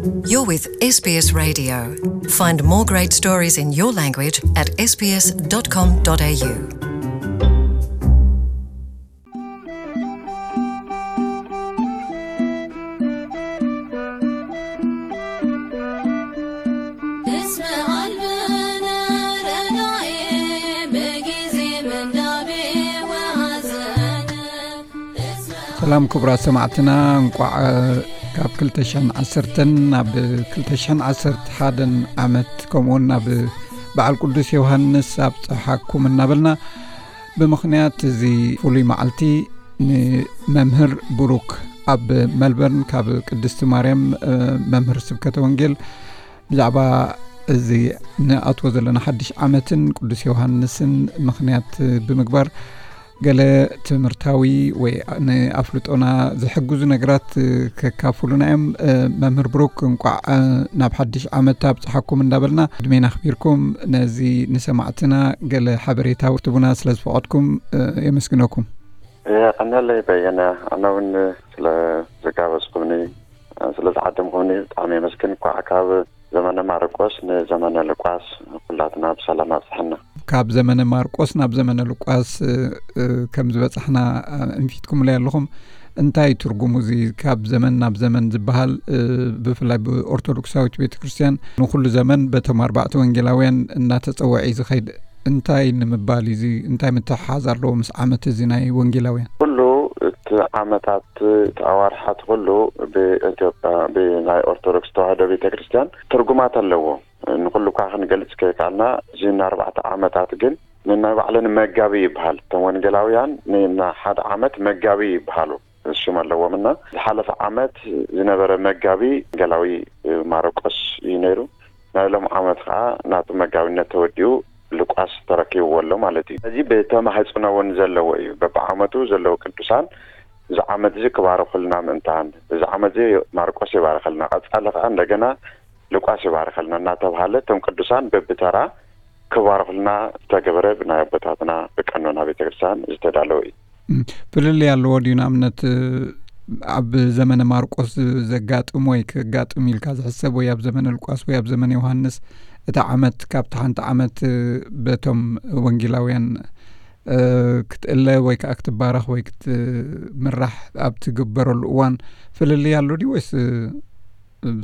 You're with S B S Radio. Find more great stories in your language at S B S dot com dot A U. ሰላም ክቡራት ሰማዕትና፣ እንቋዕ ካብ ክልተ ሽሕን ዓሰርተን ናብ ክልተ ሽሕን ዓሰርተ ሓደን ዓመት፣ ከምኡውን ናብ በዓል ቅዱስ ዮሃንስ ኣብጽሓኩም እናበልና፣ ብምኽንያት እዚ ፍሉይ መዓልቲ ንመምህር ብሩክ ኣብ መልበርን ካብ ቅድስቲ ማርያም፣ እ፣ መምህር ስብከተ ወንጌል ብዛዕባ እዚ ንኣትዎ ዘለና ሓድሽ ዓመትን ቅዱስ ዮሃንስን ምኽንያት ብምግባር፣ ገለ ትምህርታዊ ወይ ንኣፍልጦና ዝሕግዙ ነገራት ከካፍሉና እዮም። መምህር ብሩክ፣ እንቋዕ ናብ ሓድሽ ዓመት ኣብጽሓኩም እንዳበልና፣ ዕድሜና ኣኽቢርኩም ነዚ ንሰማዕትና ገለ ሓበሬታ ክትህቡና ስለ ዝፈቐድኩም የመስግነኩም። የቐንየለይ በየነ፣ ኣነ እውን ስለ ዝጋበዝኩምኒ፣ ስለ ዝዓደምኩምኒ ብጣዕሚ የመስግን። እንኳዕ ካብ ዘመነ ማርቆስ ንዘመነ ሉቃስ ኩላትና ብሰላም ኣብጽሐና። ካብ ዘመነ ማርቆስ ናብ ዘመነ ሉቃስ፣ እ፣ እ፣ ከም ዝበጻሕና፣ እ፣ እንፊትኩምለይ ኣለኹም። እንታይ ትርጉሙ እዚ ካብ ዘመን ናብ ዘመን ዝበሃል፣ እ፣ ብፍላይ ብኦርቶዶክሳዊት ቤተ ክርስቲያን ንኹሉ ዘመን በቶም ኣርባዕተ ወንጌላውያን እናተጸውዐ እዩ ዝኸይድ። እንታይ ንምባል እዩ እዚ? እንታይ ምትሕሓዝ ኣለዎ ምስ ዓመት እዚ ናይ ወንጌላውያን? ኩሉ እቲ ዓመታት፣ እቲ ኣዋርሓት ኩሉ ብኢትዮጵያ፣ ብናይ ኦርቶዶክስ ተዋህዶ ቤተ ክርስቲያን ትርጉማት ኣለዎ። ንኹሉ እኳ ክንገልጽ ከይከኣልና፣ እዚ ንኣርባዕተ ዓመታት ግን ንናይ ባዕለን መጋቢ ይበሃል። እቶም ወንጌላውያን ንናይ ሓደ ዓመት መጋቢ ይበሃሉ፣ ሽም ኣለዎም። እና ዝሓለፈ ዓመት ዝነበረ መጋቢ ወንጌላዊ ማርቆስ እዩ ነይሩ። ናይ ሎም ዓመት ከዓ ናቱ መጋቢነት ተወዲኡ ሉቃስ ተረኪብዎ ኣሎ ማለት እዩ። እዚ ብተማህጽኖ እውን ዘለዎ እዩ። በብዓመቱ ዘለዉ ቅዱሳን እዚ ዓመት እዚ ክባርኹልና ምእንታን፣ እዚ ዓመት እዚ ማርቆስ ይባርኸልና፣ ቀጻሊ ከዓ እንደገና ሉቃስ ይባርኸልና እናተባሃለ እቶም ቅዱሳን በብተራ ክባርኹልና ዝተገበረ ብናይ ኣቦታትና ብቀኖና ቤተክርስትያን ዝተዳለወ እዩ። እም፣ ፍልልይ ኣለዎ ድዩ? ንኣብነት፣ ኣብ ዘመነ ማርቆስ ዘጋጥም ወይ ክጋጥም ኢልካ ዝሕሰብ ወይ ኣብ ዘመነ ሉቃስ ወይ ኣብ ዘመነ ዮሃንስ እቲ ዓመት ካብቲ ሓንቲ ዓመት በቶም ወንጌላውያን፣ እ፣ ክትእለ ወይ ከዓ ክትባረኽ ወይ ክትምራሕ ኣብ ትግበረሉ እዋን ፍልልይ ኣሎ ድዩ ወይስ፣ እ፣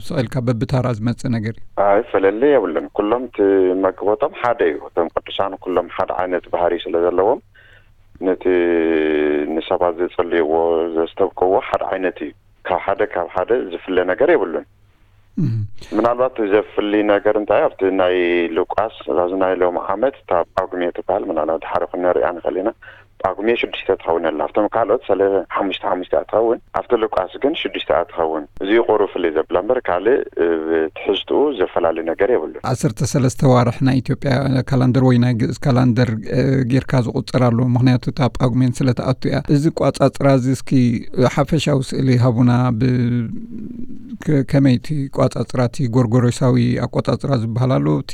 ስቕ ኢልካ በብታራ ዝመጽእ ነገር እዩ? ኣይ፣ ፍልልይ የብሉን። ኩሎም ትመግቦቶም ሓደ እዩ። እቶም ቅዱሳን ኩሎም ሓደ ዓይነት ባህሪ ስለ ዘለዎም ነቲ ንሰባት ዘጽልይዎ፣ ዘስተብቅዎ ሓደ ዓይነት እዩ። ካብ ሓደ፣ ካብ ሓደ ዝፍለ ነገር የብሉን። እም። ምናልባት ዘፍሊ ነገር እንታይ፣ ኣብቲ ናይ ሉቃስ፣ ኣብዚ ናይ ሎም ዓመት እታ ጳጉሜ ትበሃል፣ ምናልባት ድሓር ክንሪኣ ንኽእል ኢና። ጳጉሜ ሽዱሽተ ትኸውን ኣላ። ኣብቶም ካልኦት ሰለ-፣ ሓሙሽተ ሓሙሽተ እያ ትኸውን፣ ኣብቲ ሉቃስ ግን ሽዱሽተ እያ ትኸውን። እዚ እዩ ቁሩብ ፍልይ ዘብላ እምበር፣ ካልእ፣ እ፣ ትሕዝትኡ ዘፈላለ ነገር የብሉን። ዓሰርተ ሰለስተ ዋርሕ ናይ ኢትዮጵያ ካላንደር ወይ ናይ ግእዝ ካላንደር፣ እ፣ ጌርካ ዝቑጽር ኣሎ። ምኽንያቱ እታ ጳጉሜን ስለ ትኣቱ እያ። እዚ ቋጻጽራ እዚ እስኪ ሓፈሻዊ ስእሊ ሃቡና። ብ-፣ ከ-፣ ከመይ እቲ ቋጻጽራ፣ እቲ ጎርጎሮሳዊ ኣቆጻጽራ ዝበሃል ኣሎ፣ እቲ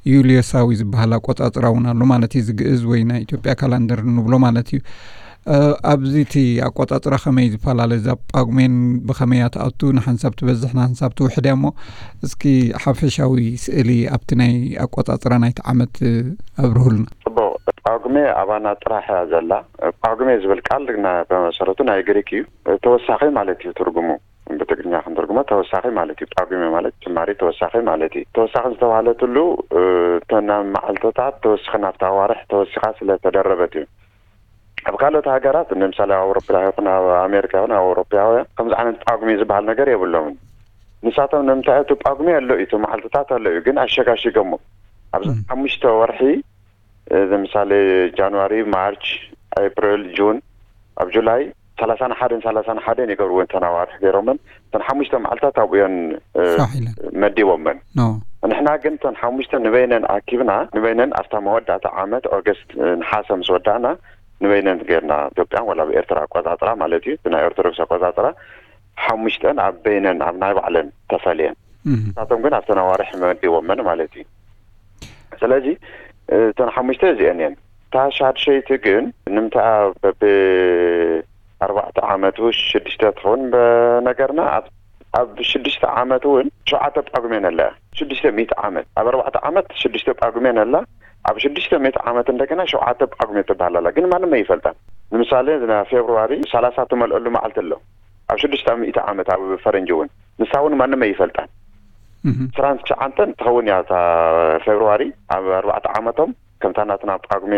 ዩልዮሳዊ ዝበሃል ኣቆጻጽራ እውን ኣሎ ማለት እዩ። እዚ ግእዝ ወይ ናይ ኢትዮጵያ ካላንደር እንብሎ ማለት እዩ። እ፣ ኣብዚ እቲ ኣቆጻጽራ ከመይ ዝፈላለ? እዛ ጳጉሜን ብኸመይ እያ ትኣቱ? ንሓንሳብ ትበዝሕ፣ ንሓንሳብ ትውሕድ እያ እሞ፣ እስኪ ሓፈሻዊ ስእሊ ኣብቲ ናይ ኣቆጻጽራ ናይቲ ዓመት፣ እ፣ ኣብርሁልና። ጽቡቕ። ጳጉሜ ኣባና ጥራሕ እያ ዘላ። ጳጉሜ ዝብል ቃል ና-፣ ብመሰረቱ ናይ ግሪክ እዩ። ተወሳኺ ማለት እዩ ትርጉሙ። ብትግርኛ ክንትርጉሞ ተወሳኺ ማለት እዩ። ጳጉሜ ማለት ጭማሪ ተወሳኺ ማለት እዩ። ተወሳኺ ዝተባህለትሉ፣ እ፣ እተን መዓልትታት ተወሲኸን ኣብታ ኣዋርሕ ተወሲኻ ስለ ተደረበት እዩ። ኣብ ካልኦት ሃገራት፣ ንምሳሌ ኣብ ኣውሮፓ ይኹን ኣብ ኣሜሪካ ይኹን ኣብ ኣውሮፓውያን ከምዚ ዓይነት ጳጉሜ ዝበሃል ነገር የብሎምን። ንሳቶም ንምንታይ እቲ ጳጉሜ ኣሎ እዩ፣ እቲ መዓልትታት ኣሎ እዩ፣ ግን ኣሸጋሺጎሞ። ኣብዚ እም። ሓሙሽተ ወርሒ፣ እ፣ ንምሳሌ ጃንዋሪ፣ ማርች፣ ኤፕሪል፣ ጁን፣ ኣብ ጁላይ ሰላሳን ሓደን ሰላሳን ሓደን ይገብርዎ እተን ኣዋርሕ ገይሮመን። እተን ሓሙሽተ መዓልታት ኣብኡ እየን፣ እ፣ ፋሕ ኢለን። መዲቦመን። ኖ። ንሕና ግን እተን ሓሙሽተ ንበይነን ኣኪብና፣ ንበይነን ኣብታ መወዳእታ ዓመት ኦገስት፣ እ፣ ነሓሰ ምስ ወዳእና፣ ንበይነን ጌርና ኢትዮጵያን ወላ ብኤርትራ ኣቆጻጽራ ማለት እዩ፣ እቲ ናይ ኦርቶዶክስ ኣቆጻጽራ ሓሙሽተን ኣብ በይነን ኣብ ናይ ባዕለን ተፈልየን። እም። ንሳቶም ግን ኣብተን ኣዋርሕ መዲቦመን ማለት እዩ። ስለዚ፣ እተን ሓሙሽተ እዚአን እየን። እታ ሻድሸይቲ ግን ንምንታይ በብ ኣርባዕተ ዓመቱ ሽዱሽተ ትኸውን በነገርና ኣብ ኣብ ሽዱሽተ ዓመት እውን ሸውዓተ ጳጉሜን ኣለ። ሽዱሽተ ሚእቲ ዓመት፣ ኣብ ኣርባዕተ ዓመት ሽዱሽተ ጳጉሜን ኣላ። ኣብ ሽዱሽተ ሚእቲ ዓመት እንደገና ሸውዓተ ጳጉሜ ትበሃል ኣላ፣ ግን ማንም ኣይፈልጣን። ንምሳሌ ና ፌብርዋሪ ሰላሳ ትመልአሉ መዓልቲ ኣሎ ኣብ ሽዱሽተ ሚእቲ ዓመት ኣብ ፈረንጂ እውን፣ ንሳ እውን ማንም ኣይፈልጣን። ስራን ትሽዓንተን ትኸውን እያ እታ ፌብርዋሪ ኣብ ኣርባዕተ ዓመቶም፣ ከምታ ናትና ጳጉሜ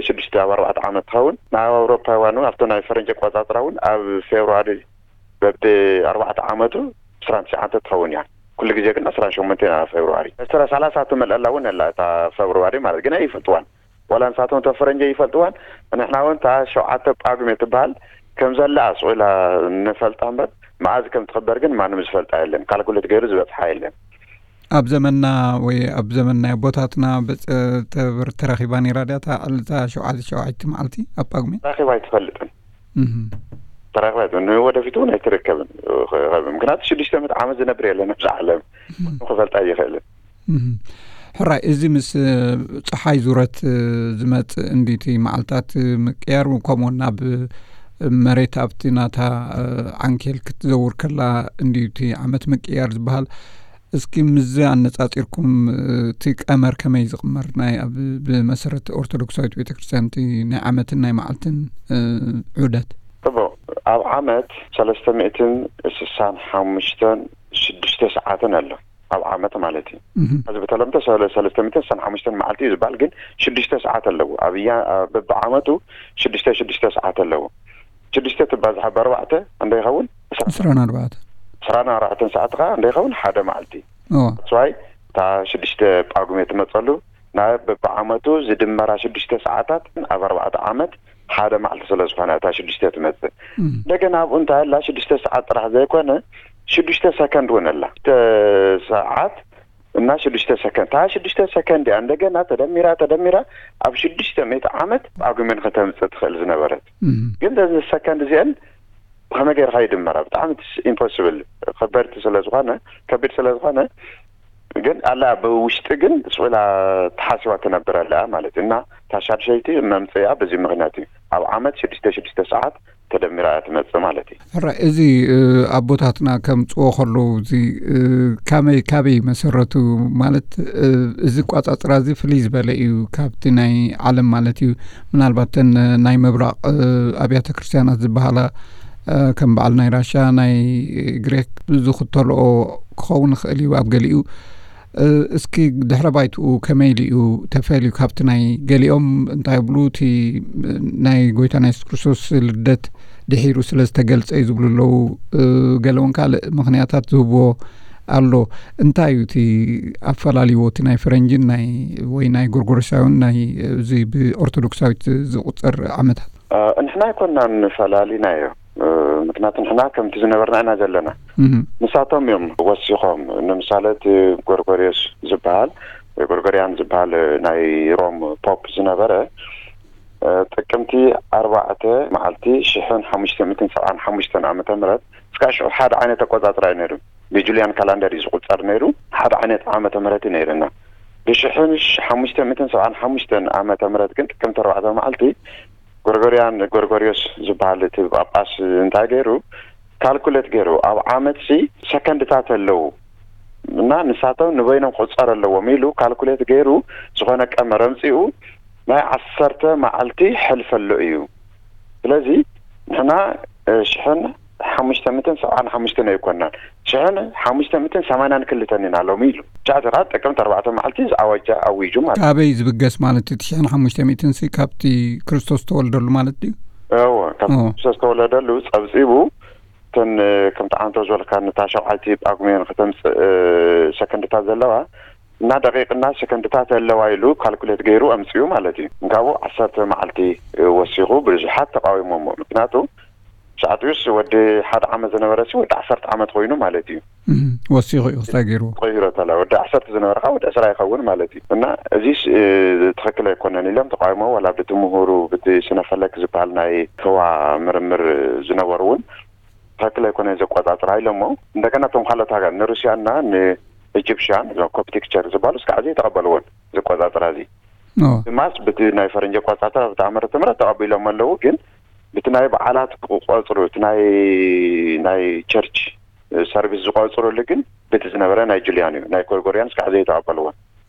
ሽዱሽተ ኣብ ኣርባዕተ ዓመት ትኸውን። ናብ ኣውሮፓውያን እውን ኣብቶ ናይ ፈረንጂ ኣቆጻጽራ እውን ኣብ ፌብርዋሪ በቢ ኣርባዕተ ዓመቱ ዕስራን ትሽዓተ ትኸውን እያ። ኩሉ ግዜ ግን ዕስራን ሸሞንተ ኢና ፌብርዋሪ። ዕስራ ሰላሳ ትመልአላ እውን ኣላ እታ ፌብርዋሪ ማለት ግን ኣይፈልጥዋን። ዋላ ንሳቶም እቶም ፈረንጂ ይፈልጥዋን። ንሕና እውን እታ ሸውዓተ ጳጉሜ ትበሃል ከም ዘላ ኣስቑላ ንፈልጣ እምበር መዓዝ ከም ትኽበር ግን ማንም ዝፈልጣ የለን። ካልኩሌት ገይሩ ዝበጽሓ የለን። ኣብ ዘመንና ወይ ኣብ ዘመን ናይ ኣቦታትና በጸ-፣ ተበር-፣ ተረኺባ ነይራ ድያ እታ ዕለታ ሸውዓተ ሸውዓተ መዓልቲ ኣብ ጳጉሜ? ተራኺባ ኣይትፈልጥን። እህ። ተራኺባ ኣይትፈልጥን። ንወደፊት እውን ኣይትርከብን። ምክንያቱ ሽዱሽተ ሚእቲ ዓመት ዝነብር የለን ኣብዚ ዓለም። እህ። ክፈልጣ ኣይኽእልን። እህ። ሕራይ፣ እዚ ምስ፣ እ፣ ጸሓይ ዙረት፣ እ፣ ዝመጽእ እንዲቲ መዓልታት፣ እ፣ ምቅያር፣ ከምኡውን ናብ፣ እ፣ መሬት ኣብቲ ናታ፣ እ፣ ዓንኬል ክትዘውር ከላ እንዲቲ ዓመት ምቅያር ዝበሃል፣ እስኪ ምስዚ ኣነጻጺርኩም፣ እ፣ እቲ ቀመር ከመይ ዝቕመር ናይ ኣብ፣ ብመሰረት ኦርቶዶክሳዊት ቤተክርስትያን እቲ ናይ ዓመትን ናይ መዓልትን፣ እ፣ ዑደት? ጽቡቕ። ኣብ ዓመት ሰለስተ ሚእትን ስሳን ሓሙሽተን ሽዱሽተ ሰዓትን ኣሎ። ኣብ ዓመት ማለት እዩ። እህ። እዚ ብተለምዶ ሰለ-፣ ሰለስተ ሚእትን ስሳን ሓሙሽተን መዓልቲ እዩ ዝበሃል፣ ግን ሽዱሽተ ሰዓት ኣለዎ። ኣብ እያ-፣ ኣብ በብዓመቱ ሽዱሽተ ሽዱሽተ ሰዓት ኣለዎ። ሽዱሽተ ትባዝሓ ብኣርባዕተ እንደ ይኸውን? ዕስራን ኣርባዕተ። ዕስራን ኣርባዕተን ሰዓት ኸዓ እንደ ይኸውን? ሓደ መዓልቲ። እዋ። That's why እታ ሽዱሽተ ጳጉሜ ትመጸሉ፣ ናብ በብዓመቱ ዝድመራ ሽዱሽተ ሰዓታት ኣብ ኣርባዕተ ዓመት ሓደ መዓልቲ ስለ ዝኾነ እታ ሽዱሽተ ትመጽእ። እም። እንደገና ኣብኡ እንታይ ኣላ? ሽዱሽተ ሰዓት ጥራሕ ዘይኮነ፣ ሽዱሽተ ሰከንድ እውን ኣላ። ሽዱሽተ ሰዓት እና ሽዱሽተ ሰከንድ። እታ ሽዱሽተ ሰከንድ እያ እንደገና ተደሚራ፣ ተደሚራ ኣብ ሽዱሽተ ሚእቲ ዓመት ጳጉሜን ከተምጽእ ትኽእል ዝነበረት። እም። ግን እዘን ሰከንድ እዚአን ብኸመይ ጌርካ ይድመራ? ብጣዕሚ ኢምፖስብል፣ ከበድቲ ስለ ዝኾነ፣ ከቢድ ስለ ዝኾነ፣ ግን ኣላ ብውሽጢ ግን ስቕ ኢላ ተሓሲባ ትነብር ኣላ ማለት እዩ። እና እታ ሻድሸይቲ መምጽኢኣ በዚ ምኽንያት እዩ። ኣብ ዓመት ሽዱሽተ ሽዱሽተ ሰዓት ተደሚራ እያ ትመጽእ ማለት እዩ። ሕራይ፣ እዚ፣ እ፣ ኣቦታትና ከምጽዎ ከለዉ፣ እዚ፣ እ፣ ካመይ-፣ ካበይ መሰረቱ? ማለት፣ እ፣ እዚ ኣቋጻጽራ እዚ ፍልይ ዝበለ እዩ ካብቲ ናይ ዓለም ማለት እዩ። ምናልባት እተን ናይ ምብራቕ፣ እ፣ ኣብያተ ክርስቲያናት ዝበሃላ፣ እ፣ ከም በዓል ናይ ራሻ፣ ናይ ግሪክ ዝኽተልኦ ክኸውን ይኽእል እዩ ኣብ ገሊኡ። እ፣ እስኪ ድሕረ ባይትኡ ከመይ ኢሉ እዩ ተፈልዩ ካብቲ ናይ ገሊኦም እንታይ ይብሉ፣ እቲ ናይ ጎይታና የሱስ ክርስቶስ ልደት ድሒሩ ስለ ዝተገልጸ እዩ ዝብሉ ኣለዉ። እ፣ ገለውን ካልእ ምኽንያታት ዝህብዎ ኣሎ። እንታይ እዩ እቲ ኣፈላልይዎ እቲ ናይ ፈረንጅን ናይ፣ ወይ ናይ ጎርጎሮሳውን ናይ፣ እዚ ብኦርቶዶክሳዊት ዝቑጸር ዓመታት? እ፣ ንሕና ኣይኮንናን ፈላሊናዮ። እ፣ ምክንያቱ ንሕና ከምቲ ዝነበርና ኢና ዘለና። እህ። ንሳቶም እዮም ወሲኾም። ንምሳሌ እቲ ጎርጎርዮስ ዝበሃል፣ ጎርጎርያን ዝበሃል ናይ ሮም ፖፕ ዝነበረ፣ እ፣ ጥቅምቲ ኣርባዕተ መዓልቲ ሽሕን ሓሙሽተ ሚእትን ሰብዓን ሓሙሽተን ዓመተ ምህረት፣ እስካብ ሽዑ ሓደ ዓይነት ኣቆጻጽራ እዩ ነይሩ። ብጁልያን ካላንደር እዩ ዝቁጸር ነይሩ። ሓደ ዓይነት ዓመተ ምህረት እዩ ነይርና። ብሽሕን ሓሙሽተ ሚእትን ሰብዓን ሓሙሽተን ዓመተ ምህረት ግን ጥቅምቲ ኣርባዕተ መዓልቲ ጎርጎርያን፣ ጎርጎርዮስ ዝበሃል እቲ ጳጳስ እንታይ ገይሩ፣ ካልኩሌት ገይሩ፣ ኣብ ዓመትሲ ሰከንድታት ኣለዉ እና ንሳቶም ንበይኖም ክቑጸር ኣለዎም ኢሉ ካልኩሌት ገይሩ ዝኾነ ቀመር ኣምጺኡ ናይ ዓሰርተ መዓልቲ ሕልፊ ኣሎ እዩ። ስለዚ ንሕና፣ እ፣ ሽሕን ሓሙሽተ ሚእትን ሰብዓን ሓሙሽተን ኣይኮናን፣ ሽሕን ሓሙሽተ ሚእትን ሰማንያን ክልተን ኢና ሎሚ ኢሉ። ቻ፣ እዚ ኸዓ ጥቅምቲ ኣርባዕተ መዓልቲ ዝኣወጀ ኣዊጁ ማለት እዩ። ካበይ ዝብገስ ማለት እዩ? እቲ ሽሕን ሓሙሽተ ሚእትን ሲ ካብቲ ክርስቶስ ዝተወልደሉ ማለት ድዩ? እወ፣ ካብ ኦ። ክርስቶስ ዝተወለደሉ ጸብጺቡ፣ እተን፣ እ፣ ከምቲ ዓንቶ ዝበልካ፣ ነታ ሸውዓይቲ ጳጉሜን ከተምጽእ፣ እ፣ ሰከንድታት ዘለዋ፣ እና ደቂቅና ሰከንድታት ኣለዋ ኢሉ ካልኩሌት ገይሩ ኣምጺኡ ማለት እዩ። እንካቡ ዓሰርተ መዓልቲ፣ እ፣ ወሲኹ ብዙሓት ተቃዊሞሞ። ምክንያቱ ሰዓቱስ ወዲ ሓደ ዓመት ዝነበረ ሲ ወዲ ዓሰርተ ዓመት ኮይኑ ማለት እዩ። እም፣ ወሲኹ እዩ ክስታይ ገይርዎ። ቆይሮ ተላ ወዲ ዓሰርተ ዝነበረ ኸዓ ወዲ ዕስራ ይኸውን ማለት እዩ። እና እዚስ፣ እ፣ ትኽክል ኣይኮነን ኢሎም ተቃዊሞ፣ ዋላ ብቲ ምሁሩ፣ ብቲ ስነፈለክ ዝበሃል ናይ ህዋ ምርምር ዝነበሩ እውን ትኽክል ኣይኮነን ዘቆጻጽራ ኢሎሞ። እንደገና እቶም ካልኦት ሃገር ንሩስያና ንኢጅፕሽያን፣ እዞም ኮፕቲክ ቸርች ዝበሃሉ እስካዕ ሕዚ ኣይተቐበልዎን ዘቆጻጽራ እዚ። ኦ። ድማስ ብቲ ናይ ፈረንጂ ኣቆጻጽራ ብቲ ዓመተ ምህረት ተቐቢሎም ኣለዉ፣ ግን ብቲ ናይ በዓላት ክቆጽሩ፣ እቲ ናይ፣ ናይ ቸርች ሰርቪስ ዝቆጽሩሉ ግን በቲ ዝነበረ ናይ ጁልያን እዩ። ናይ ጎርጎርያንስ ከዓ ዘይተቐበልዎ።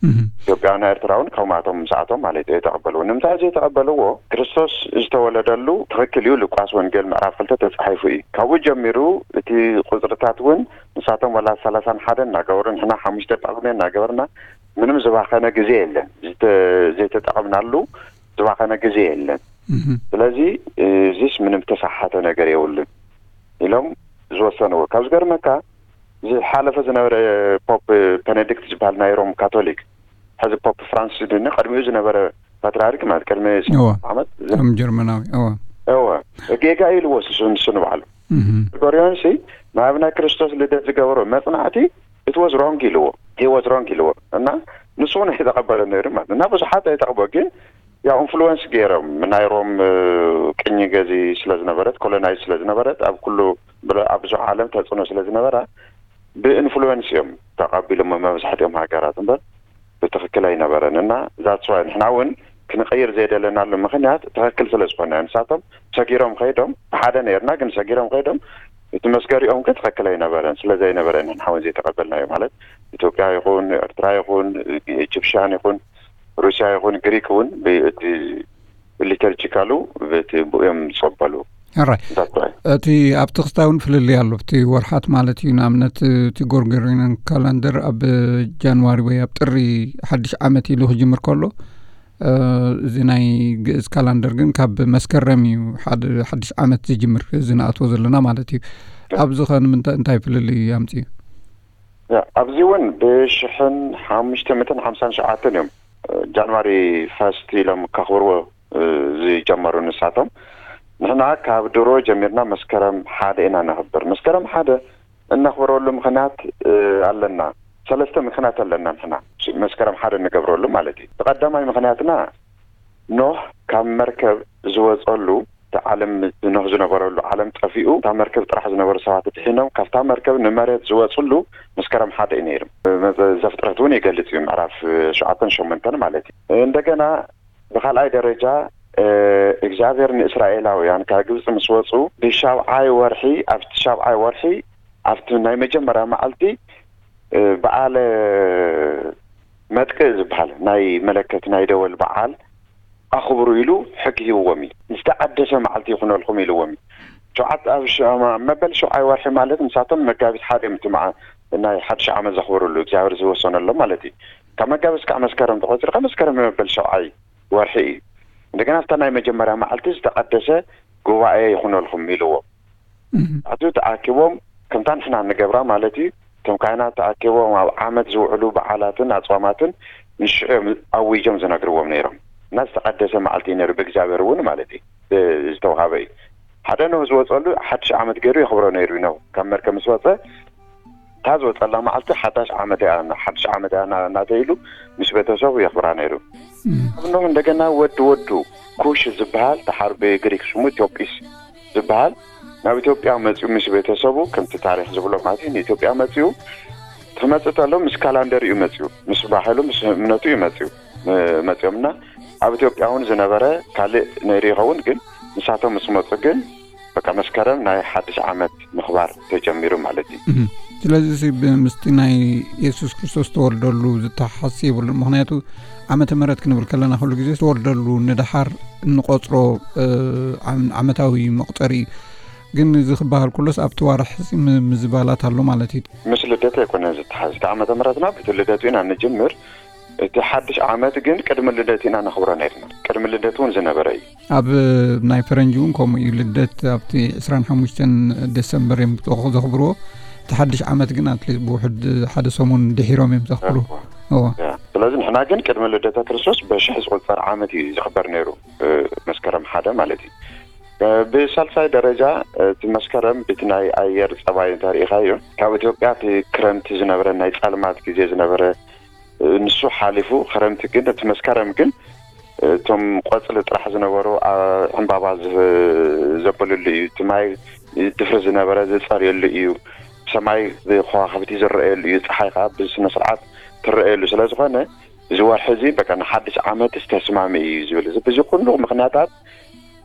ኢትዮጵያውያን ኤርትራውን ከምኣቶም ምስኣቶም ማለት እዩ፣ ዘይተቐበልዎ። ንምንታይ ዘይተቐበልዎ? ክርስቶስ ዝተወለደሉ ትኽክል እዩ። ሉቃስ ወንጌል ምዕራፍ ክልተ ተጻሒፉ እዩ። ካብኡ ጀሚሩ እቲ ቁጽርታት እውን ንሳቶም ዋላ ሰላሳን ሓደን እናገበሩ፣ ንሕና ሓሙሽተ ጳጉሜ እናገበርና ምንም ዝባኸነ ግዜ የለን። ዝተ-፣ ዘይተጠቐምናሉ ዝባኸነ ግዜ የለን። ስለዚ እዚስ ምንም ተሳሓተ ነገር የብሉን ኢሎም ዝወሰንዎ። ካብ ዝገርመካ፣ ዝሓለፈ ዝነበረ ፖፕ ቤኔዲክት ዝበሃል ናይ ሮም ካቶሊክ፣ ሕዚ ፖፕ ፍራንሲስ ድኒ፣ ቅድሚኡ ዝነበረ ፓትርያርክ ማለት ቅድሚ ዓመት፣ ም ጀርመናዊ። እወ፣ ጌጋ ኢልዎ ንሱ ንባዕሉ። ጎርጎርዮንሲ ናብ ናይ ክርስቶስ ልደት ዝገበሮ መጽናዕቲ፣ it was wrong ኢልዎ፣ he was wrong ኢልዎ። እና ንሱ እውን ኣይተቐበለ ነይሩ ማለት። እና ብዙሓት ኣይተቐበሉ፣ ግን ያው ኢንፍሉወንስ ገይሮም፣ ናይ ሮም ቅኝ ገዚ ስለ ዝነበረት፣ ኮሎናይዝ ስለ ዝነበረት፣ ኣብ ኩሉ፣ ኣብ ብዙሕ ዓለም ተጽዕኖ ስለ ዝነበራ፣ ብኢንፍሉወንስ እዮም ተቐቢሎም መብዛሕትኦም ሃገራት እምበር ብትኽክል ኣይነበረን። እና that's why ንሕና እውን ክንቕይር ዘይደለናሉ ምኽንያት ትኽክል ስለ ዝኾነ፣ ንሳቶም ሰጊሮም ከይዶም፣ ሓደ ነርና ግን ሰጊሮም ከይዶም፣ እቲ መስገሪኦም ግን ትኽክል ኣይነበረን። ስለ ዘይነበረ ንሕና እውን ዘይተቐበልናዮ። ማለት ኢትዮጵያ ይኹን ኤርትራ ይኹን ኢጅፕሽያን ይኹን ሩስያ ይኹን ግሪክ እውን ብእቲ ሊተርጂካሉ በቲ ብኡ እዮም ዝጸበሉ። ሕራይ። That's why። እቲ ኣብቲ ክስታይ እውን ፍልልይ ኣሎ። ኣብቲ ወርሓት ማለት እዩ። ንኣብነት እቲ ጎርጎሪያን ካላንደር ኣብ ጃንዋሪ ወይ ኣብ ጥሪ ሓድሽ ዓመት ኢሉ ክጅምር ከሎ፣ እዚ ናይ ግእዝ ካላንደር ግን ካብ መስከረም እዩ ሓደ ሓድሽ ዓመት ዝጅምር፣ እዚ ንኣትዎ ዘለና ማለት እዩ። ኣብዚ ኸ ንምንታይ፣ እንታይ ፍልልይ ኣምፅኡ? ያ፣ ኣብዚ እውን ብሽሕን ሓሙሽተ ሚእትን ሓምሳን ሸውዓተን እዮም ጃንዋሪ ፈስት ኢሎም ከኽብርዎ ዝጀመሩ ንሳቶም። ንሕና ካብ ድሮ ጀሚርና መስከረም ሓደ ኢና ነኽብር። መስከረም ሓደ እነኽብረሉ ምኽንያት ኣለና። ሰለስተ ምኽንያት ኣለና ንሕና መስከረም ሓደ እንገብረሉ ማለት እዩ። እቲ ቀዳማይ ምኽንያትና፣ ኖህ ካብ መርከብ ዝወፀሉ፣ እቲ ዓለም፣ ኖህ ዝነበረሉ ዓለም ጠፊኡ፣ እታ መርከብ ጥራሕ ዝነበሩ ሰባት ድሒኖም ካብታ መርከብ ንመሬት ዝወፅሉ መስከረም ሓደ እዩ ነይሩ። ዘፍጥረት እውን ይገልፅ እዩ፣ ምዕራፍ ሸውዓተን ሸሞንተን ማለት እዩ። እንደገና ብኻልኣይ ደረጃ እግዚኣብሔር ንእስራኤላውያን ካብ ግብፂ ምስ ወፁ፣ ብሻብዓይ ወርሒ፣ ኣብቲ ሻብዓይ ወርሒ፣ ኣብቲ ናይ መጀመርያ መዓልቲ በዓለ መጥቅእ ዝበሃል ናይ መለከት ናይ ደወል በዓል ኣኽብሩ ኢሉ ሕጊ ሂብዎም እዩ። ዝተቐደሰ መዓልቲ ይኹነልኩም ኢልዎም እዩ። ሸውዓተ ኣብ ሸ-፣ መበል ሸውዓይ ወርሒ ማለት ንሳቶም መጋቢት ሓደ እዮም እቲ መዓ-፣ ናይ ሓድሽ ዓመት ዘኽብሩሉ እግዚኣብሔር ዝወሰነሎም ማለት እዩ። ካብ መጋቢት እስካዕ መስከረም ተቖፂርካ መስከረም መበል ሸውዓይ ወርሒ እዩ። እንደገና ኣብታ ናይ መጀመርያ መዓልቲ ዝተቐደሰ ጉባኤ ይኹነልኩም ኢልዎም። ኣቱ ተኣኪቦም ከምታ ንሕና እንገብራ ማለት እዩ። እቶም ካህናት ተኣኪቦም ኣብ ዓመት ዝውዕሉ በዓላትን ኣፅዋማትን ንሽዑ እዮም ኣዊጆም ዝነግርዎም ነይሮም። እና ዝተቐደሰ መዓልቲ እዩ ነይሩ ብእግዚኣብሔር እውን ማለት እዩ፣ ዝተውሃበ እዩ። ሓደ ኖህ ዝወፀሉ ሓድሽ ዓመት ገይሩ የኽብሮ ነይሩ እዩ። ኖህ ካብ መርከብ ምስ ወፀ እታ ዝወፀላ መዓልቲ ሓዳሽ ዓመት እያ፣ ሓድሽ ዓመት እያ እና-፣ እናተኢሉ ምስ ቤተሰቡ የኽብራ ነይሩ። እም። ኣብ ኖህ እንደገና ወዲ ወዱ ኩሽ ዝበሃል፣ ደሓር ብግሪክ ስሙ ኢትዮጵስ ዝበሃል፣ ናብ ኢትዮጵያ መፂኡ ምስ ቤተሰቡ፣ ከምቲ ታሪክ ዝብሎ ማለት እዩ፣ ንኢትዮጵያ መፂኡ። ክመፅእ ተሎ ምስ ካላንደር እዩ መፂኡ፣ ምስ ባህሉ፣ ምስ እምነቱ እዩ መፂኡ። እ፣ መፂኦምና ኣብ ኢትዮጵያ እውን ዝነበረ ካልእ ነይሩ ይኸውን፣ ግን ንሳቶም ምስ መፁ ግን በቃ መስከረም ናይ ሓድሽ ዓመት ምኽባር ተጀሚሩ ማለት እዩ። እም። ስለዚ እዚ ብ-፣ ምስቲ ናይ የሱስ ክርስቶስ ተወልደሉ ዝተሓሓስ የብሉን። ምኽንያቱ ዓመተ ምህረት ክንብል ከለና ኩሉ ግዜ ዝተወልደሉ ንደሓር እንቆጽሮ፣ እ፣ ዓም-፣ ዓመታዊ መቁጸሪ እዩ። ግን እዚ ክበሃል ከሎስ ኣብቲ ዋርሕ እዚ ም-፣ ምዝባላት ኣሎ ማለት እዩ። ምስ ልደት ኣይኮነን ዝተሓዝ። እቲ ዓመተ ምህረትና በቲ ልደቱ ኢና ንጅምር። እቲ ሓድሽ ዓመት ግን ቅድሚ ልደት ኢና ነኽብሮ ነርና። ቅድሚ ልደት እውን ዝነበረ እዩ። ኣብ ናይ ፈረንጂ እውን ከምኡ እዩ። ልደት ኣብቲ ዕስራን ሓሙሽተን ደሰምበር እዮም ዘኽ-፣ ዘኽብርዎ። እቲ ሓድሽ ዓመት ግን ኣትሊስት ብውሕድ ሓደ ሰሙን ድሒሮም እዮም ዘኽብሩ። እዎ። እዎ። ያ። ስለዚ ንሕና ግን ቅድሚ ልደተ ክርስቶስ በሽሕ ዝቑጸር ዓመት እዩ ዝኽበር ነይሩ፣ እ፣ መስከረም ሓደ ማለት እዩ። እ፣ ብሳልሳይ ደረጃ፣ እ፣ እቲ መስከረም ብቲ ናይ ኣየር ጸባይ እንተሪኢኻዮ፣ ካብ ኢትዮጵያ እቲ ክረምቲ ዝነበረ፣ ናይ ጸልማት ግዜ ዝነበረ፣ እ፣ ንሱ ሓሊፉ፣ ክረምቲ ግን፣ እቲ መስከረም ግን፣ እ፣ እቶም ቆጽሊ ጥራሕ ዝነበሩ፣ ኣ-፣ ዕምባባ ዝህ-፣ ዘብልሉ እዩ። እቲ ማይ ድፍሪ ዝነበረ ዝጸርየሉ እዩ። ሰማይ ብከዋኽብቲ ዝረኣየሉ እዩ። ጸሓይ ከዓ ብስነ ስርዓት ትረኣየሉ ስለ ዝኾነ፣ እዚ ወርሒ እዚ በቃ ንሓድሽ ዓመትስ ተስማሚ እዩ ዝብል፣ እዚ፣ በዚ ኩሉ ምኽንያታት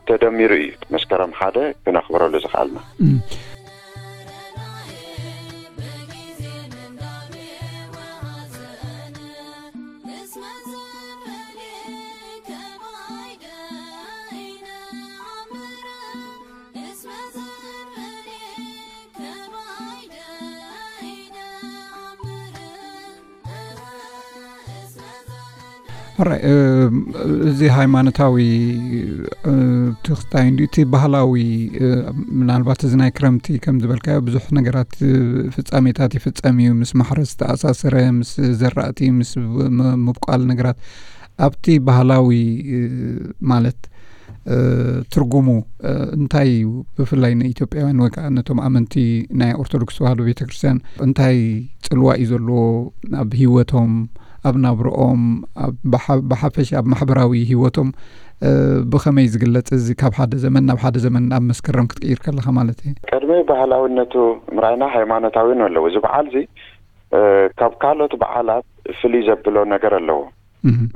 ተደሚሩ እዩ መስከረም ሓደ ክነኽብረሉ ዝኸኣልና። እም። ሕራይ እዚ ሃይማኖታዊ ትኽስታይ እንዲ እቲ ባህላዊ፣ ምናልባት እዚ ናይ ክረምቲ ከም ዝበልካዮ ብዙሕ ነገራት፣ ፍጻሜታት ይፍጸም እዩ። ምስ ማሕረስ ዝተኣሳሰረ፣ ምስ ዘራእቲ፣ ምስ ምብቋል ነገራት፣ ኣብቲ ባህላዊ ማለት ትርጉሙ እንታይ እዩ? ብፍላይ ንኢትዮጵያውያን ወይ ከዓ ነቶም ኣመንቲ ናይ ኦርቶዶክስ ተዋህዶ ቤተክርስትያን እንታይ ጽልዋ እዩ ዘለዎ ኣብ ህይወቶም፣ ኣብ ናብርኦም፣ ብሓፈሽ ኣብ ማሕበራዊ ህይወቶም ብኸመይ ዝግለጽ? እዚ ካብ ሓደ ዘመን ናብ ሓደ ዘመን ኣብ መስከረም ክትቅይር ከለኻ ማለት እዩ። ቅድሚ ባህላዊነቱ ምርኣይና ሃይማኖታዊ ኣለዎ። እዚ በዓል እዚ ካብ ካልኦት በዓላት ፍልይ ዘብሎ ነገር ኣለዎ።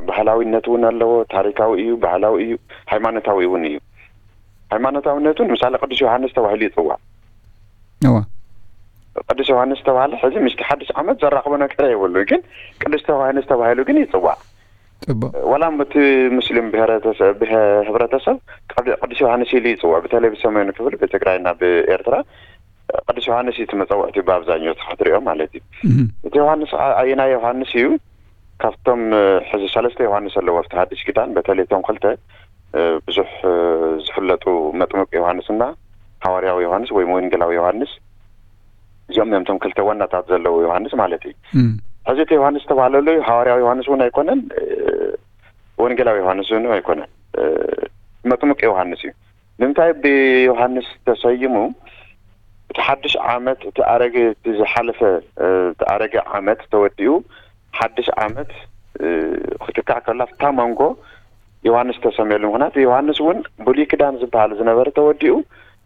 ባህላዊነት እውን ኣለዎ። ታሪካዊ እዩ፣ ባህላዊ እዩ፣ ሃይማኖታዊ እውን እዩ። ሃይማኖታዊነቱ ንምሳሌ ቅዱስ ዮሃንስ ተባሂሉ ይፅዋዕ። እዋ። ቅዱስ ዮሃንስ ተባሃለ ሕዚ ምስቲ ሓድሽ ዓመት ዘራኽቦ ነገር የብሉ፣ ግን ቅዱስ ዮሃንስ ተባሂሉ ግን ይፅዋዕ። ጽቡቅ። ወላ እቲ ሙስሊም ብሔረተሰብ፣ ብሄ-፣ ህብረተሰብ ቅድ-፣ ቅዱስ ዮሃንስ ኢሉ ይጽዋዕ። በተለይ ብሰሜኑ ክፍል ብትግራይና ብኤርትራ ቅዱስ ዮሃንስ እዩ እቲ መጸውዕቲ ብኣብዛኛው እቲ ክትሪኦ ማለት እዩ። እቲ ዮሃንስ ኣ-፣ ኣየናይ ዮሃንስ እዩ? ካብቶም ሕዚ ሰለስተ ዮሃንስ ኣለዉ ኣብቲ ሓድሽ ኪዳን፣ በተለይ እቶም ክልተ ብዙሕ ዝፍለጡ መጥምቅ ዮሃንስና ሃዋርያዊ ዮሃንስ ወይ ወንጌላዊ ዮሃንስ፣ እዚኦም እዮም እቶም ክልተ ዋናታት ዘለዉ ዮሃንስ ማለት እዩ። ሕዚ እቲ ዮሃንስ ዝተባህለሉ ሃዋርያዊ ዮሃንስ እውን ኣይኮነን፣ ወንጌላዊ ዮሃንስ እውን ኣይኮነን፣ መጥምቅ ዮሃንስ እዩ። ንምንታይ ብዮሃንስ ተሰይሙ? እቲ ሓድሽ ዓመት፣ እቲ ኣረገ፣ እቲ ዝሓለፈ፣ እቲ ኣረገ ዓመት ተወዲኡ ሓድሽ ዓመት ክትካእ ከላ ኣብታ መንጎ ዮሃንስ ተሰምየሉ። ምኽንያቱ ዮሃንስ እውን ብሉይ ክዳን ዝበሃል ዝነበረ ተወዲኡ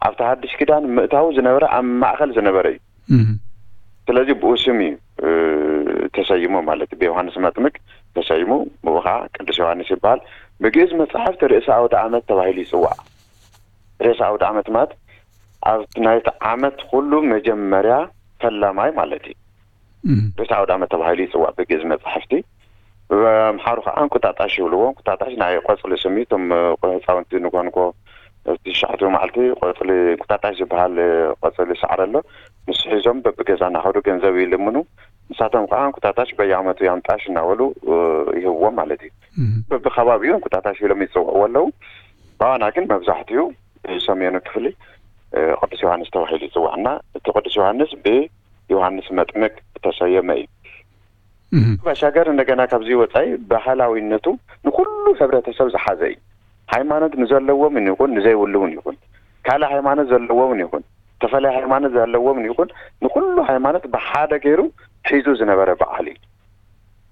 ኣብቲ ሓድሽ ክዳን ምእታው ዝነበረ ኣብ ማእኸል ዝነበረ እዩ። ስለዚ ብኡ ስም እዩ ተሰይሙ ማለት እዩ። ብዮሃንስ መጥምቅ ተሰይሙ፣ ብኡ ከዓ ቅዱስ ዮሃንስ ይበሃል። ብግእዝ መፅሓፍቲ ርእሰ ኣውደ ዓመት ተባሂሉ ይፅዋዕ። ርእሰ ኣውደ ዓመት ማለት ኣብቲ ናይቲ ዓመት ኩሉ መጀመርያ ፈላማይ ማለት እዩ። ርእሰ ኣውደ ዓመት ተባሂሉ ይፅዋዕ ብግእዝ መፅሓፍቲ። ብኣምሓሩ ከዓ እንቁጣጣሽ ይብልዎ። እንቁጣጣሽ ናይ ቆፅሊ ስም እዩ። እቶም ህፃውንቲ ንኮንኮ ትሽዓቱ መዓልቲ ቆፅሊ እንቁጣጣሽ ዝበሃል ቆፅሊ ሳዕሪ ኣሎ። ንሱ ሒዞም በብገዛ እናኸዱ ገንዘብ ይልምኑ። ንሳቶም ከዓ እንቁጣጣሽ በየዓመቱ ያምጣሽ እናበሉ ይህብዎም ማለት እዩ። በብከባቢኡ እንቁጣጣሽ ኢሎም ይፅውዕዎ ኣለዉ። ብኣና ግን መብዛሕትኡ ሰሜኑ ክፍሊ ቅዱስ ዮሃንስ ተባሂሉ ይፅዋዕ እና እቲ ቅዱስ ዮሃንስ ብዮሃንስ መጥምቅ ዝተሰየመ እዩ። ባሻገር እንደገና ካብዚ ወፃኢ ባህላዊነቱ ንኩሉ ሕብረተሰብ ዝሓዘ እዩ። ሃይማኖት ንዘለዎም ይኹን ንዘይብሉ እውን ይኹን፣ ካልእ ሃይማኖት ዘለዎም እውን ይኹን፣ ተፈለየ ሃይማኖት ዘለዎም እውን ይኹን፣ ንኩሉ ሃይማኖት ብሓደ ገይሩ ሒዙ ዝነበረ በዓል እዩ።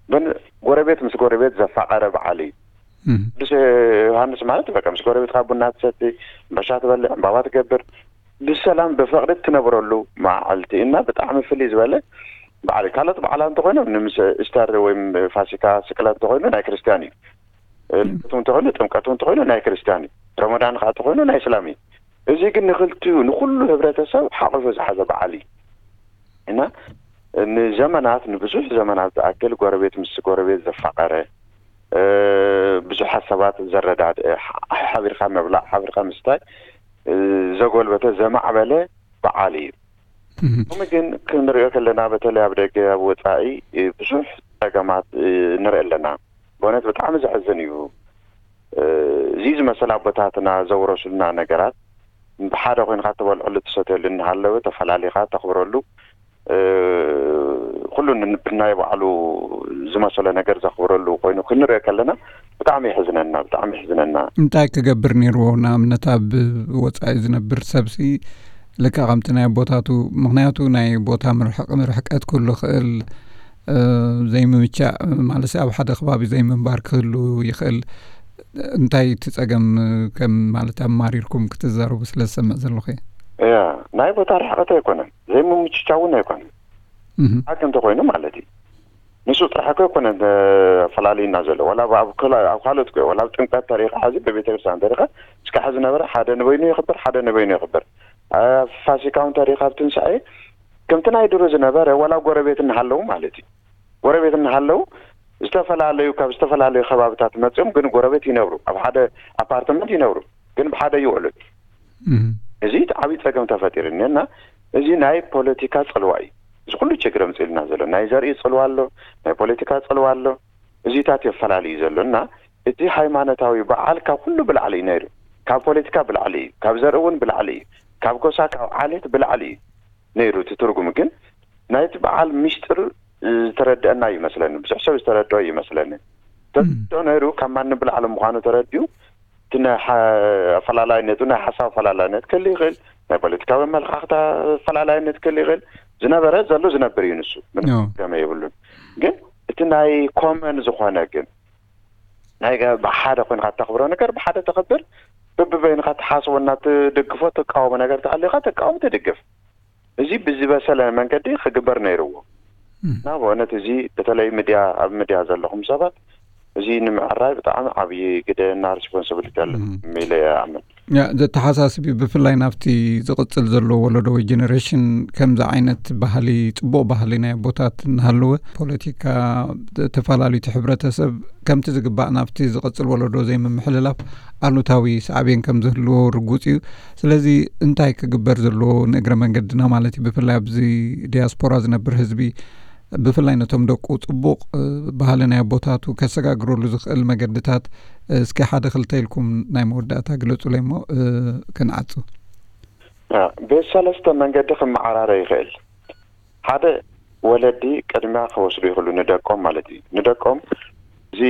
ብን-፣ ጎረቤት ምስ ጎረቤት ዘፋቀረ በዓል እዩ። ቅዱስ ዮሃንስ ማለት በቃ ምስ ጎረቤትካ ቡና ትሰቲ፣ ዕምባሻ ትበልዕ፣ ዕምባባ ትገብር፣ ብሰላም ብፍቅሪ ትነብረሉ መዓልቲ እና ብጣዕሚ ፍልይ ዝበለ በዓል እዩ። ካልኦት በዓላት እንተኮይኖም ንምስ-፣ ኢስተር ወይ ፋሲካ፣ ስቅለት እንተኮይኑ ናይ ክርስትያን እዩ። ልደት እውን እንተኮይኑ፣ ጥምቀት እውን እንተኮይኑ ናይ ክርስትያን እዩ። ረመዳን ከዓ እንተኮይኑ ናይ እስላም እዩ። እዚ ግን ንክልቲኡ ንኩሉ ህብረተሰብ ሓቂፉ ዝሓዘ በዓል እዩ እና ንዘመናት፣ ንብዙሕ ዘመናት ዝኣክል ጎረቤት ምስ ጎረቤት ዘፋቀረ፣ ብዙሓት ሰባት ዘረዳድአ፣ ሓ-፣ ሓቢርካ ምብላዕ፣ ሓቢርካ ምስታይ ዘጎልበተ፣ ዘማዕበለ በዓል እዩ። ከምኡ ግን ክንሪኦ ከለና በተለይ ኣብ ደገ ኣብ ወፃኢ ብዙሕ ፀገማት ንርኢ ኣለና። ብእውነት ብጣዕሚ ዘሕዝን እዩ። እዚ ዝመሰል ኣቦታትና ዘውረሱልና ነገራት ብሓደ ኮይንካ ትበልዐሉ ትሰትየሉ እናሃለወ ተፈላሊኻ ተኽብረሉ ኩሉ ብናይ ባዕሉ ዝመሰሎ ነገር ዘኽብረሉ ኮይኑ ክንሪኦ ከለና ብጣዕሚ የሕዝነና፣ ብጣዕሚ የሕዝነና። እንታይ ክገብር ነይርዎ? ንኣብነት ኣብ ወፃኢ ዝነብር ሰብሲ ልክዕ ከምቲ ናይ ኣቦታቱ፣ ምኽንያቱ ናይ ቦታ ምርሕቕ-፣ ርሕቀት ክህሉ ይኽእል፣ ዘይምምቻእ ማለት ኣብ ሓደ ከባቢ ዘይምንባር ክህሉ ይኽእል። እንታይ እቲ ጸገም ከም ማለት ኣማሪርኩም ክትዛረቡ ስለ ዝሰምዕ ዘለኹ እየ። እያ፣ ናይ ቦታ ርሕቀት ኣይኮነን፣ ዘይምምችቻው እውን ኣይኮነን። ሓቂ እንተኾይኑ ማለት እዩ። ንሱ ጥራሕ እኮ ኣይኮነን ፈላልዩና ዘሎ። ዋላ ኣብ፣ ኣብ ካልኦት እኮ፣ ዋላ ኣብ ጥምቀት ተሪኻ፣ ሕዚ ብቤተክርስትያን ተሪኻ፣ እስካዕ ዝነበረ ሓደ ንበይኑ የኽብር፣ ሓደ ንበይኑ የኽብር። ኣብ ፋሲካ እውን ተሪኻ፣ ኣብ ትንሳኤ ከምቲ ናይ ድሮ ዝነበረ፣ ዋላ ጎረቤት እናሃለዉ ማለት እዩ። ጎረቤት እናሃለዉ፣ ዝተፈላለዩ፣ ካብ ዝተፈላለዩ ከባብታት መፅኦም ግን ጎረቤት ይነብሩ፣ ኣብ ሓደ ኣፓርትመንት ይነብሩ፣ ግን ብሓደ ይውዕሉ። እዚ ዓብዪ ፀገም ተፈጢሩ እኒሀ እና እዚ ናይ ፖለቲካ ፅልዋ እዩ። እዚ ኩሉ ችግር ኣምፅእልና ዘሎ ናይ ዘርኢ ፅልዋ ኣሎ፣ ናይ ፖለቲካ ፅልዋ ኣሎ። እዚታት የፈላለዩ ዘሎ። እና እቲ ሃይማኖታዊ በዓል ካብ ኩሉ ብላዕሊ እዩ ነይሩ። ካብ ፖለቲካ ብላዕሊ እዩ፣ ካብ ዘርኢ እውን ብላዕሊ እዩ፣ ካብ ጎሳ፣ ካብ ዓሌት ብላዕሊ እዩ ነይሩ። እቲ ትርጉም ግን ናይቲ በዓል ሚስጥር ዝተረደአና ይመስለኒ፣ ብዙሕ ሰብ ዝተረድኦ ይመስለኒ። ተረድኦ ነይሩ፣ ካብ ማንም ብላዕሊ ምዃኑ ተረዲኡ፣ እቲ ናይ ሓ- ኣፈላላይነቱ፣ ናይ ሓሳብ ኣፈላላይነት ክህሉ ይኽእል፣ ናይ ፖለቲካዊ ኣመለኻኽታ ኣፈላላይነት ክህሉ ይኽእል። ዝነበረ ዘሎ ዝነብር እዩ ንሱ፣ ምንም ገመ የብሉን። ግን እቲ ናይ ኮመን ዝኾነ ግን ናይ ገ- ብሓደ ኮይንካ እተኽብሮ ነገር ብሓደ ተኽብር፣ በብበይንካ ትሓስቦ እና ትድግፎ ትቃወሞ ነገር ተሃልዩካ ትቃወም ትድግፍ። እዚ ብዝበሰለ መንገዲ ክግበር ነይርዎ። እና ብእውነት እዚ በተለይ ሚድያ፣ ኣብ ሚድያ ዘለኹም ሰባት እዚ ንምዕራይ ብጣዕሚ ዓብዪ ግደ እና ሪስፖንሲቢሊቲ ኣሎ ኢለ ይኣምን። ያ፣ ዘተሓሳስብ እዩ። ብፍላይ ናብቲ ዝቕጽል ዘሎ ወለዶ ወይ ጀነሬሽን ከምዚ ዓይነት ባህሊ፣ ጽቡቕ ባህሊ ናይ ኣቦታት እናሃለወ ፖለቲካ ተፈላለዩ እቲ ሕብረተሰብ ከምቲ ዝግባእ ናብቲ ዝቕጽል ወለዶ ዘይምምሕልላፍ ኣሉታዊ ሳዕቤን ከም ዝህልዎ ርጉጽ እዩ። ስለዚ እንታይ ክግበር ዘለዎ ንእግረ መንገድና ማለት እዩ፣ ብፍላይ ኣብዚ ዲያስፖራ ዝነብር ህዝቢ ብፍላይ ነቶም ደቁ ጽቡቕ ባህሊ ናይ ኣቦታቱ ከሰጋግረሉ ዝኽእል መገድታት እስኪ ሓደ ክልተ ኢልኩም ናይ መወዳእታ ግለጹለይ እሞ ክንዓጹ። ቤት ሰለስተ መንገዲ ክመዓራረ ይኽእል። ሓደ ወለዲ ቅድሚያ ክወስዱ ይኽእሉ ንደቆም ማለት እዩ። ንደቆም እዚ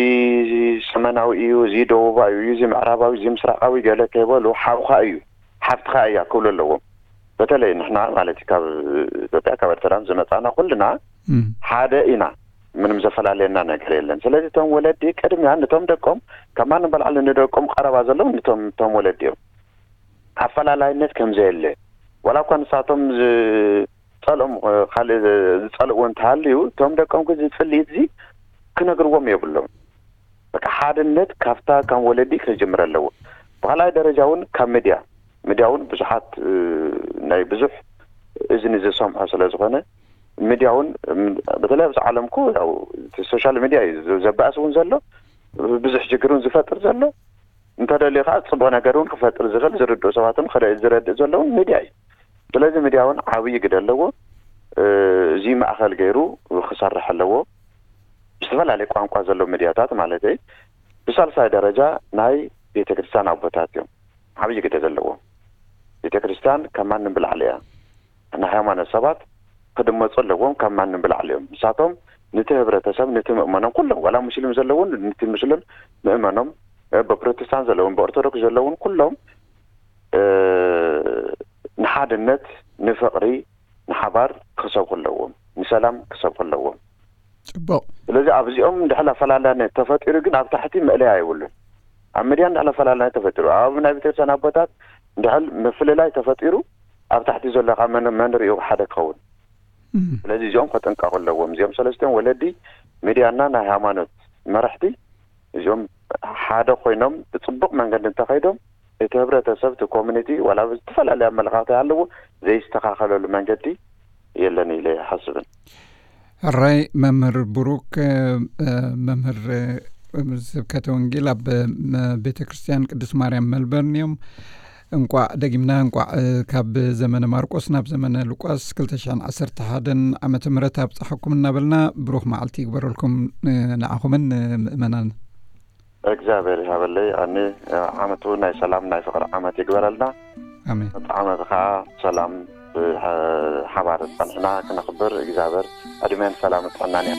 ሰሜናዊ እዩ፣ እዚ ደቡባዊ እዩ፣ እዚ ምዕራባዊ፣ እዚ ምስራቃዊ ገለ ከይበሉ ሓውካ እዩ፣ ሓፍትካ እያ ክብሉ ኣለዎም። በተለይ ንሕና ማለት ካብ ኢትዮጵያ ካብ ኤርትራን ዝመጻና ኩልና ሓደ ኢና፣ ምንም ዘፈላለየና ነገር የለን። ስለዚ እቶም ወለዲ ቅድሚያ ንቶም ደቆም ከማን በላዕሊ ንደቆም ቀረባ ዘለዉ ንቶም ቶም ወለዲ እዮም። ኣፈላላይነት ከም ዘየለ ዋላ እኳ ንሳቶም ዝጸልኦም ካልእ ዝጸልእዎ እንተሃልዩ እቶም ደቆም ግን ዝጽልኢት እዚ ክነግርዎም የብሎም። በቃ ሓድነት ካብታ ካብ ወለዲ ክጅምር ኣለዎ። ብካልኣይ ደረጃ እውን ካብ ሚድያ፣ ሚድያ እውን ብዙሓት ናይ ብዙሕ እዝኒ ዝሰምዖ ስለ ዝኾነ ሚድያ እውን በተለይ ኣብዚ ዓለምኩ ያው ሶሻል ሚድያ እዩ ዘባእስ እውን ዘሎ ብዙሕ ችግር እውን ዝፈጥር ዘሎ። እንተደልዩ ከዓ ፅቡቅ ነገር እውን ክፈጥር ዝኽእል ዝርድኡ ሰባት እውን ዝረድእ ዘለውን ሚድያ እዩ። ስለዚ ሚድያ እውን ዓብዪ ግደ ኣለዎ። እዚ ማእኸል ገይሩ ክሰርሕ ኣለዎ። ዝተፈላለየ ቋንቋ ዘሎ ሚድያታት ማለት እዩ። ብሳልሳይ ደረጃ ናይ ቤተክርስትያን ኣቦታት እዮም ዓብዪ ግደ ዘለዎም። ቤተክርስትያን ካብ ማንም ብላዕሊ እያ። ናይ ሃይማኖት ሰባት ክድመፁ ኣለዎም፣ ካብ ማንም ብላዕሊ እዮም። ንሳቶም ንቲ ህብረተሰብ ንቲ ምእመኖም ኩሎም ዋላ ሙስሊም ዘለውን ንቲ ሙስሊም ምእመኖም ብፕሮቴስታንት ዘለውን ብኦርቶዶክስ ዘለውን ኩሎም ንሓድነት ንፍቕሪ ንሓባር ክሰብኹ ኣለዎም፣ ንሰላም ክሰብኹ ኣለዎም። ፅቡቅ። ስለዚ ኣብዚኦም እንድሕል ኣፈላለነት ተፈጢሩ ግን ኣብ ታሕቲ መእለያ የብሉን። ኣብ ሚድያ እንድሕል ኣፈላለነት ተፈጢሩ ኣብ ናይ ቤተክርስትያን ኣቦታት እንድሕል ምፍልላይ ተፈጢሩ ኣብ ታሕቲ ዘሎ ከዓ መን ርኡ ሓደ ክኸውን። ስለዚ እዚኦም ከጥንቀቁ ኣለዎም። እዚኦም ሰለስቲኦም ወለዲ፣ ሚድያና ናይ ሃይማኖት መራሕቲ እዚኦም ሓደ ኮይኖም ብፅቡቅ መንገዲ እንተኸይዶም እቲ ህብረተሰብ እቲ ኮሚኒቲ ዋላ ዝተፈላለየ ኣመለኻኽታ ኣለዎ ዘይስተኻኸለሉ መንገዲ የለን ኢለ ይሓስብን። ሕራይ መምህር ብሩክ፣ መምህር ስብከተ ወንጌል ኣብ ቤተ ክርስቲያን ቅድስት ማርያም መልበርን እዮም። እንቋዕ ደጊምና እንቋዕ ካብ ዘመነ ማርቆስ ናብ ዘመነ ሉቃስ ክልተ ሽሕን ዓሰርተ ሓደን ዓመተ ምህረት ኣብፀሓኩም እናበልና ብሩኽ መዓልቲ ይግበረልኩም ንዓኹምን ንምእመናን። እግዚኣብሔር ይሃበለይ። ኣኒ ዓመቱ ናይ ሰላም ናይ ፍቕሪ ዓመት ይግበረልና። ኣሜን። እቲ ዓመት ከዓ ሰላም ብሓባር ጸንሕና ክነኽብር እግዚኣብሔር ዕድሜን ሰላም ጥዕናን እያ።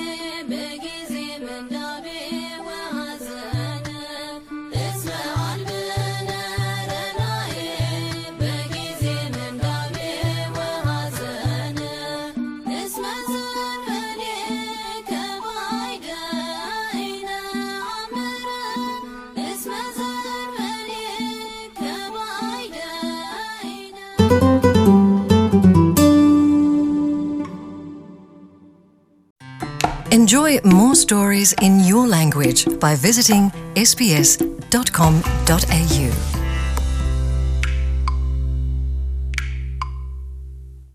Enjoy more stories in your language by visiting S B S dot com dot A U.